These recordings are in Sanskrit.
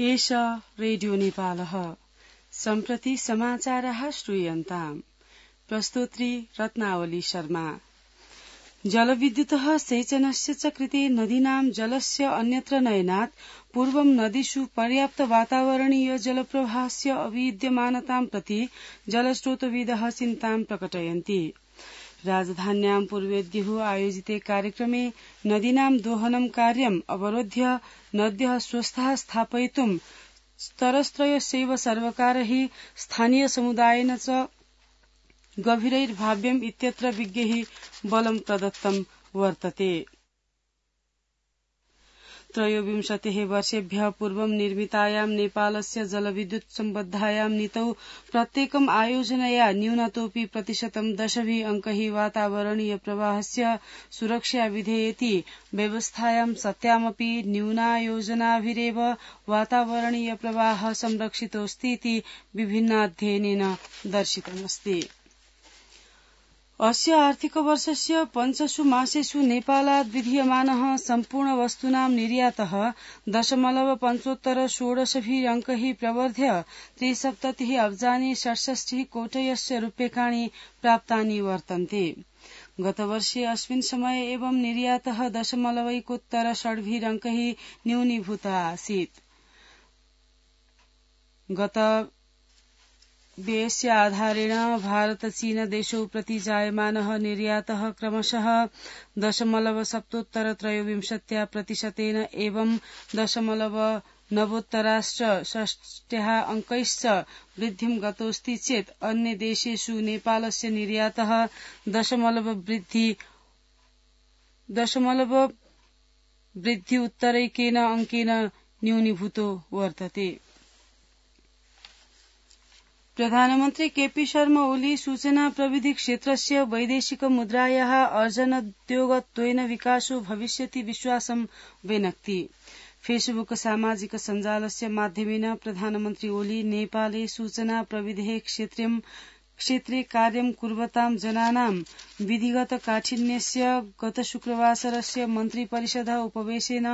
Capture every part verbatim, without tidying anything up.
एष रेडियो नेपालः सम्प्रति समाचारः श्रूयन्ताम्। प्रस्तोत्री रत्नावली शर्मा। जलविद्युतः सेचनस्य च कृते नदीनां जलस्य अन्यत्र नयनात् पूर्वं नदीषु पर्याप्त वातावरणीय जलप्रवाहस्य अविद्यमानतां प्रति जलस्रोतविदः चिन्तां प्रकटयन्ति। राजधान्यां पूर्वेद्युः आयोजिते कार्यक्रमे नदीनां दोहनं कार्यम् अवरोध्य नद्यः स्वस्थाः स्थापयितुं स्तरत्रयस्यैव सर्वकारैः स्थानीय समुदायेन च गभीरैर्भाव्यम् इत्यत्र विज्ञैः बलं प्रदत्तं वर्तते। त्रयोविंशतिः वर्षेभ्यः पूर्वं निर्मितायां नेपालस्य जलविद्युत सम्बद्धायां नीतौ प्रत्येकम् आयोजनया न्यूनतोऽपि प्रतिशतं दशभिः अंकैः वातावरणीय प्रवाहस्य सुरक्षा विधेयेति व्यवस्थायां सत्यामपि न्यूनायोजनाभिरेव वातावरणीय प्रवाहः संरक्षितोऽस्तीति विभिन्नाध्ययनेन दर्शितमस्ति। अस्य आर्थिकवर्षस्य पञ्चसु मासेषु नेपालात् विधीयमानः सम्पूर्ण वस्तूनां निर्यातः दशमलव पञ्चोत्तर षोडशभिः अंकैः प्रवर्ध्य त्रिसप्ततिः अब्जानि षट्षष्टिः कोटयस्य रूप्यकाणि प्राप्तानि वर्तन्ते। गतवर्षे अस्मिन् समये एवं निर्यातः दशमलवैकोत्तर षड्भिः अंकैः न्यूनीभूतः आसीत्। गत व्ययस्य आधारेण भारत चीन देशौ प्रति जायमानः निर्यातः क्रमशः दशमलव सप्तोत्तर त्रयोविंशत्या प्रतिशतेन एवं दशमलव नवोत्तराश्च षष्ट्याः अंकैश्च वृद्धिं गतोऽस्ति चेत् अन्य देशेषु नेपालस्य निर्यातः दशमलव वृद्धि दशमलव वृद्धि उत्तरैकेन अंकेन न्यूनीभूतो वर्तते। प्रधानमन्त्री केपी शर्मा ओली सूचना प्रविधि क्षेत्रस्य वैदेशिक मुद्रायाः अर्जनोद्योगत्वेन विकासो भविष्यति विश्वासं व्यनक्ति। फेसबुक सामाजिक सञ्जालस्य माध्यमेन प्रधानमन्त्री ओली नेपाले सूचना प्रविधेः क्षेत्रे कार्यं कुर्वतां जनानां विधिगत काठिन्यस्य गत शुक्रवासरस्य मन्त्रिपरिषदः उपवेशेन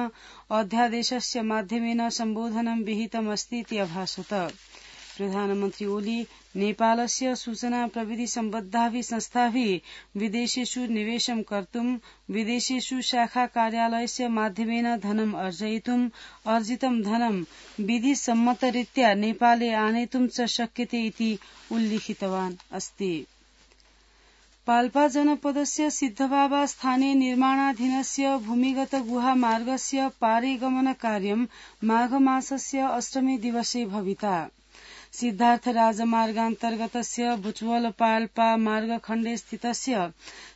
अध्यादेशस्य माध्यमेन सम्बोधनं विहितमस्ति इति अभाषत। प्रधानमन्त्री ओली नेपालस्य सूचना प्रविधि सम्बद्धाभिः संस्थाभिः विदेशेषु निवेशं कर्तुं विदेशेषु शाखा कार्यालयस्य माध्यमेन धनम् अर्जयितुं अर्जितं धनं विधिसम्मतरीत्या नेपाले आनेतुं च शक्यते इति उल्लिखितवान् अस्ति। पाल्पा जनपदस्य सिद्धबाबा स्थाने निर्माणाधीनस्य भूमिगत गुहामार्गस्य पारेगमन कार्यं माघमासस्य अष्टमे दिवसे भविता। सिद्धार्थ राजमार्गान्तर्गतस्य बुचवल पाल्पा मार्गखण्डे स्थितस्य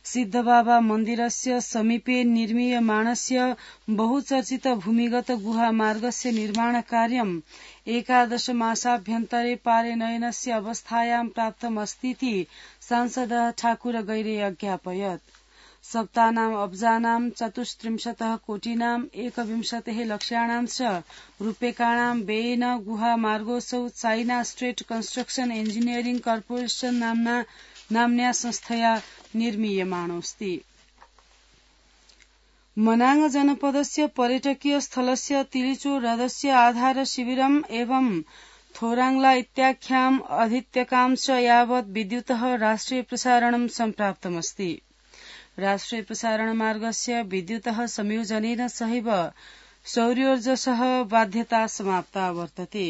सिद्धबाबा मन्दिरस्य समीपे निर्मीयमाणस्य बहुचर्चित भूमिगत गुहामार्गस्य निर्माणकार्यम् एकादश मासाभ्यन्तरे पारेनयनस्य अवस्थायां प्राप्तमस्तीति सांसदः ठाकुर गैरे अज्ञापयत्। सप्तानाम् अब्जानां चतुस्त्रिंशतः कोटिनाम् एकविंशतिः लक्ष्याणां च रूप्यकाणां व्ययेन गुहामार्गोऽसौ चाइना स्टेट कन्स्ट्रक्शन इञ्जिनियरिंग कार्पोरेशन नाम्ना नाम्न्या संस्थया निर्मीयमाणोऽस्ति। मनाङ जनपदस्य पर्यटकीय स्थलस्य तिलिचो हृदस्य आधार शिविरम् एवं थोराङ्ला इत्याख्याम् अधित्यकां च यावत् विद्युतः राष्ट्रिय प्रसारणं सम्प्राप्तमस्ति। राष्ट्रिय प्रसारण मार्गस्य विद्युतः संयोजनेन सहैव सौर्योर्जसः बाध्यता समाप्ता वर्तते।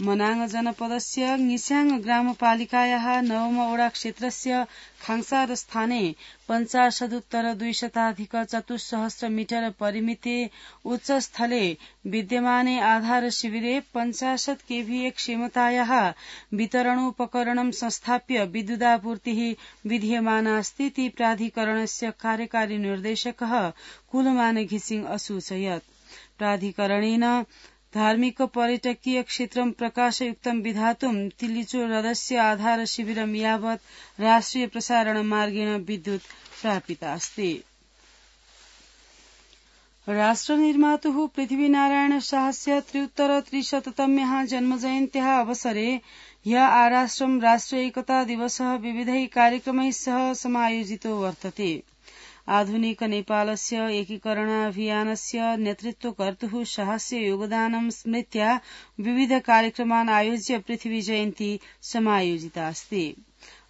मनाङ जनपदस्य ङिस्याङ ग्रामपालिकायाः नवमवडा क्षेत्रस्य खाङसार स्थाने पञ्चाशदुत्तर द्विशताधिक चतुस्सहस्र मीटर परिमिते उच्चस्थले विद्यमाने आधार शिविरे पञ्चाशत् केवीए क्षमतायाः वितरणोपकरणं संस्थाप्य विद्युदापूर्तिः विधीयमाना अस्ति इति प्राधिकरणस्य कार्यकारी निर्देशकः कुलमान घिसिङ असूचयत्। प्राधिकरणेन धार्मिक पर्यटकीय क्षेत्रं प्रकाशयुक्तं विधातुं तिलिचो हृदस्य आधार शिविरं यावत् राष्ट्रिय प्रसारण मार्गेण विद्युत् प्रापिता अस्ति। राष्ट्रनिर्मातुः पृथ्वीनारायण शाहस्य त्र्युत्तर त्रिशततम्याः जन्मजयन्त्याः अवसरे ह्यः आराष्ट्रं राष्ट्रिय एकता दिवसः विविधैः कार्यक्रमैः सह समायोजितो वर्तते। आधुनिक नेपालस्य एकीकरणाभियानस्य नेतृत्व कर्तुः साहस्य योगदानं स्मृत्या विविध कार्यक्रमान् आयोज्य पृथ्वी जयन्ती समायोजिता अस्ति।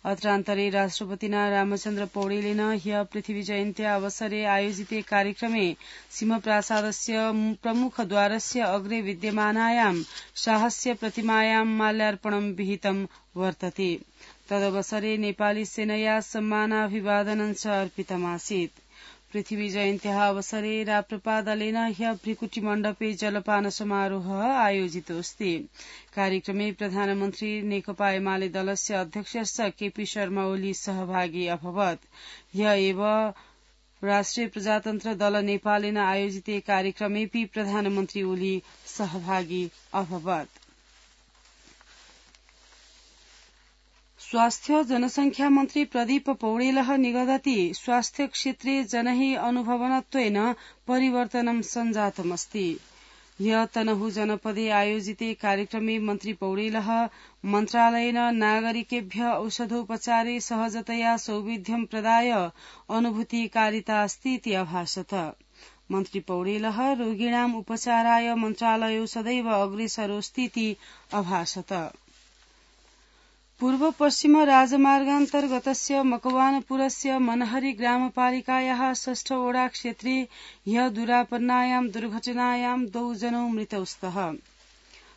अत्रान्तरे राष्ट्रपतिना रामचन्द्र पौडेलेन ह्य पृथ्वी जयन्त्या अवसरे आयोजिते कार्यक्रमे सिंहप्रासादस्य प्रमुखद्वारस्य अग्रे विद्यमानायां साहस्य प्रतिमायां माल्यार्पणं विहितं वर्तते। तदवसरे नेपाली सेनया सम्मानाभिवादनं च अर्पितमासीत्। पृथ्वी जयन्त्याः अवसरे राप्रपा दलेन ह्य भृकुटिमण्डपे जलपान समारोहः आयोजितोऽस्ति। कार्यक्रमे प्रधानमन्त्री नेकपा एमाले दलस्य अध्यक्षश्च केपी शर्मा ओली सहभागी अभवत्। ह्य एव राष्ट्रिय प्रजातन्त्र दल नेपालेन आयोजिते कार्यक्रमेऽपि प्रधानमन्त्री ओली सहभागी अभवत्। स्वास्थ्य जनसंख्या मन्त्री प्रदीप पौडेलः निगदति स्वास्थ्य क्षेत्रे जनैः अनुभवनत्वेन परिवर्तनं सञ्जातमस्ति। ह्य तनहु जनपदे आयोजिते कार्यक्रमे मन्त्री पौडेलः मन्त्रालयेन नागरिकेभ्य औषधोपचारे सहजतया सौविध्यं प्रदाय अनुभूतिकारिता अस्ति इति अभाषत। मन्त्री पौडेलः रोगिणाम् उपचाराय मन्त्रालयो सदैव अग्रेसरोऽस्तीति अभाषत। पूर्व पश्चिम राजमार्गान्तर्गतस्य मकवानपुरस्य मनहरी ग्रामपालिकायाः षष्ठ ओडा क्षेत्रे ह्य दुरापन्नायां दुर्घटनायां द्वौ जनौ मृतौ स्तः।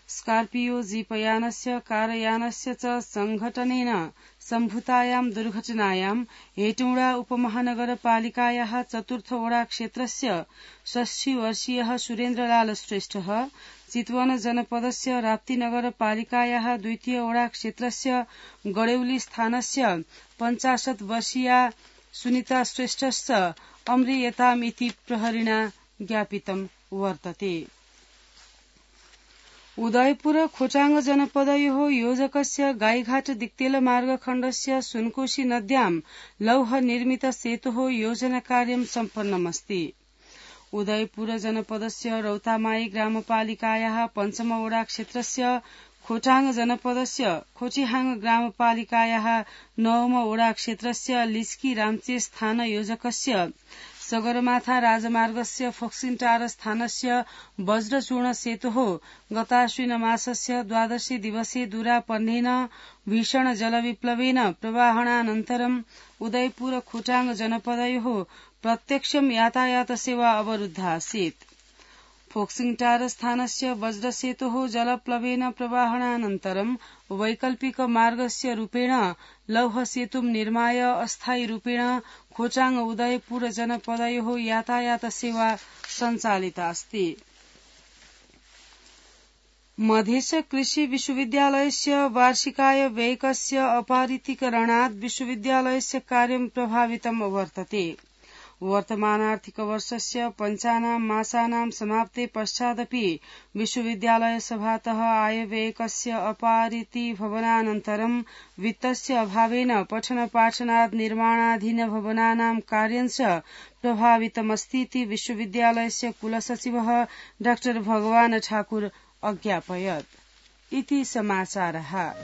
स्कार्पियो जीपयानस्य कारयानस्य च संघटनेन सम्भूतायां दुर्घटनायां हेटौडा उपमहानगरपालिकायाः चतुर्थ ओडा क्षेत्रस्य षष्ठी वर्षीयः सुरेन्द्रलाल श्रेष्ठः, चितवन जनपदस्य राप्तीनगरपालिकायाः द्वितीय ओडा क्षेत्रस्य गडेउली स्थानस्य पञ्चाशत् वर्षीया सुनिता श्रेष्ठश्च अम्रियतामिति प्रहरिणा ज्ञापितं वर्तते। उदयपुर खोटाङ जनपदयोः योजकस्य गाईघाट दिक्तेल मार्गखण्डस्य सुनकोशी नद्यां लौह निर्मित सेतोः योजनाकार्यं सम्पन्नमस्ति। उदयपुर जनपदस्य रौतामाई ग्रामपालिकायाः पञ्चम ओडा क्षेत्रस्य खोटाङ जनपदस्य खोटिहाङ ग्रामपालिकायाः नवम ओडा क्षेत्रस्य लिस्की राम्चे स्थान योजकस्य सगरमाथा राजमार्गस्य फोक्सिन्टार स्थानस्य वज्रचूर्ण सेतोः गताश्विन मासस्य द्वादशे दिवसे दुरापन्नेन भीषण जलविप्लवेन प्रवाहणानन्तरम् उदयपुर खोटाङ जनपदयोः प्रत्यक्षं यातायात सेवा अवरुद्धा आसीत्। फोक्सिंगटार स्थानस्य वज्रसेतोः जलप्लवेन प्रवाहणानन्तरं वैकल्पिक मार्गस्य रूपेण लौह सेतुं निर्माय अस्थायी रूपेण खोटाङ उदयपुर जनपदयोः यातायात सेवा सञ्चालिता अस्ति। मधेश कृषि विश्वविद्यालयस्य वार्षिकाय व्ययकस्य अपारितीकरणात् विश्वविद्यालयस्य कार्यं प्रभावितम् वर्तते। वर्तमानार्थिक वर्षस्य पञ्चानां मासानां समाप्ते पश्चादपि विश्वविद्यालय सभातः आयव्ययकस्य अपारितीभवनानन्तरं वित्तस्य अभावेन पठन पाठनात् निर्माणाधीन भवनानां कार्यं च प्रभावितमस्तीति विश्वविद्यालयस्य कुलसचिवः डॉ भगवान ठाकुर अज्ञापयत्। इति समाचारः।